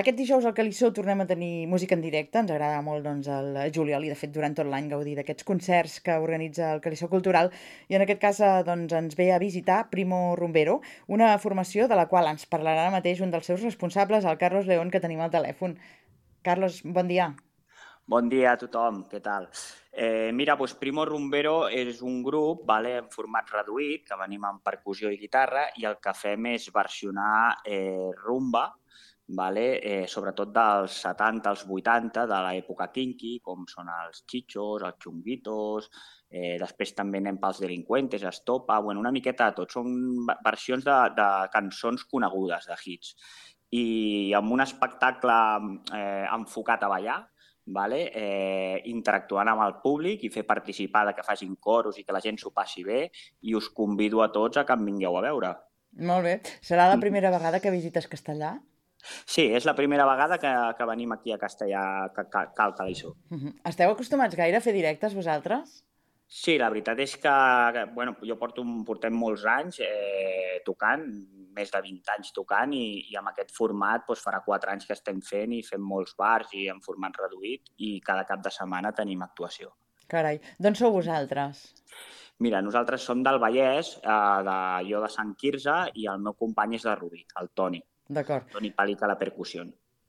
Aquest dijous al Calissó tornem a tenir música en directe. Ens agrada molt el juliol i, de fet, durant tot l'any gaudir d'aquests concerts que organitza el Calissó Cultural. I en aquest cas ens ve a visitar Primo Rumbero, una formació de la qual ens parlarà ara mateix un dels seus responsables, el Carlos León, que tenim al telèfon. Carlos, bon dia. Bon dia a tothom, què tal? Mira, doncs Primo Rumbero és un grup en format reduït, que venim amb percussió i guitarra, i el que fem és versionar rumba, sobretot dels 70 als 80, de l'època kinky, com són els Chichos, els Chunguitos, després també anem pels Delincuentes, Estopa, una miqueta de tot. Són versions de cançons conegudes, de hits. I amb un espectacle enfocat a ballar, interactuant amb el públic i fer participar, que facin coros i que la gent s'ho passi bé, i us convido a tots a que em vingueu a veure. Molt bé. Serà la primera vegada que visites Castellà? Sí, és la primera vegada que venim aquí a Castellà, al Calissó. Esteu acostumats gaire a fer directes, vosaltres? Sí, la veritat és que jo portem molts anys tocant, més de 20 anys tocant, i amb aquest format farà 4 anys que estem fent i fem molts bars i en format reduït, i cada cap de setmana tenim actuació. Carai, d'on sou vosaltres? Mira, nosaltres som del Vallès, jo de Sant Quirze, i el meu company és de Rubí, el Toni. D'acord. Toni Pàlic a la percussió.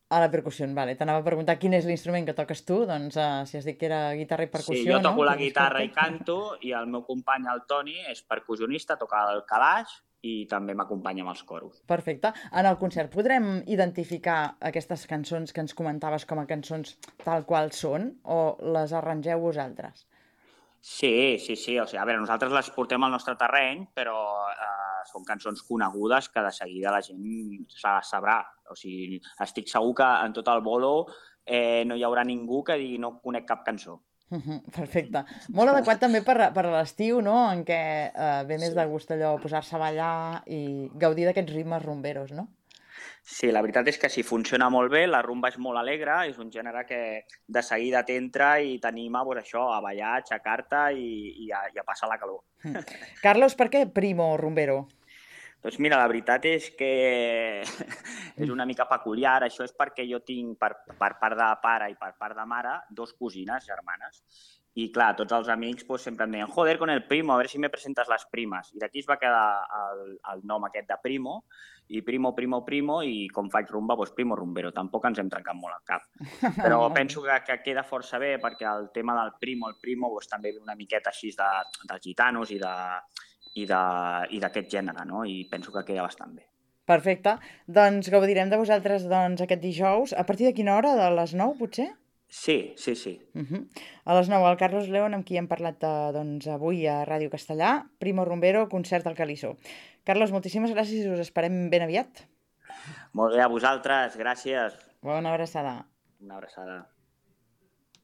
A la percussió, vale. T'anava a preguntar quin és l'instrument que toques tu, doncs si has dit que era guitarra i percussió, sí, jo toco la no? guitarra i canto, i el meu company, el Toni, és percussionista, toca el calaix i també m'acompanya amb els coros. Perfecte. En el concert podrem identificar aquestes cançons que ens comentaves com a cançons tal qual són, o les arrangeu vosaltres? Sí. O sigui, a veure, nosaltres les portem al nostre terreny, però són cançons conegudes que de seguida la gent sabrà. O sigui, estic segur que en tot el bolo no hi haurà ningú que digui no conec cap cançó. Perfecte. Molt adequat també per a l'estiu, no?, en què ve més de gust allò posar-se a ballar i gaudir d'aquests ritmes rumberos, no? Sí, la veritat és que sí, funciona molt bé, la rumba és molt alegre, és un gènere que de seguida t'entra i t'anima a ballar, a aixecar-te i a passar la calor. Carlos, per què Primo Rumbero? Doncs mira, la veritat és que és una mica peculiar. Això és perquè jo tinc, per part de pare i per part de mare, 2 cosines germanes. I clar, tots els amics sempre em deien joder con el primo, a ver si me presentes les primes. I d'aquí es va quedar el nom aquest de Primo, i Primo, i com faig rumba, doncs Primo Rumbero. Tampoc ens hem trencat molt el cap. Però penso que queda força bé, perquè el tema del Primo, també ve una miqueta així dels gitanos i d'aquest gènere, no? I penso que queda bastant bé. Perfecte. Doncs gaudirem de vosaltres aquest dijous. A partir de quina hora? De les 9, potser? Sí. A les 9, el Carlos León, amb qui hem parlat avui a Ràdio Castellà, Primo Rumbero, concert al Calissó. Carlos, moltíssimes gràcies i us esperem ben aviat. Molt bé, a vosaltres, gràcies. Bona abraçada. Una abraçada.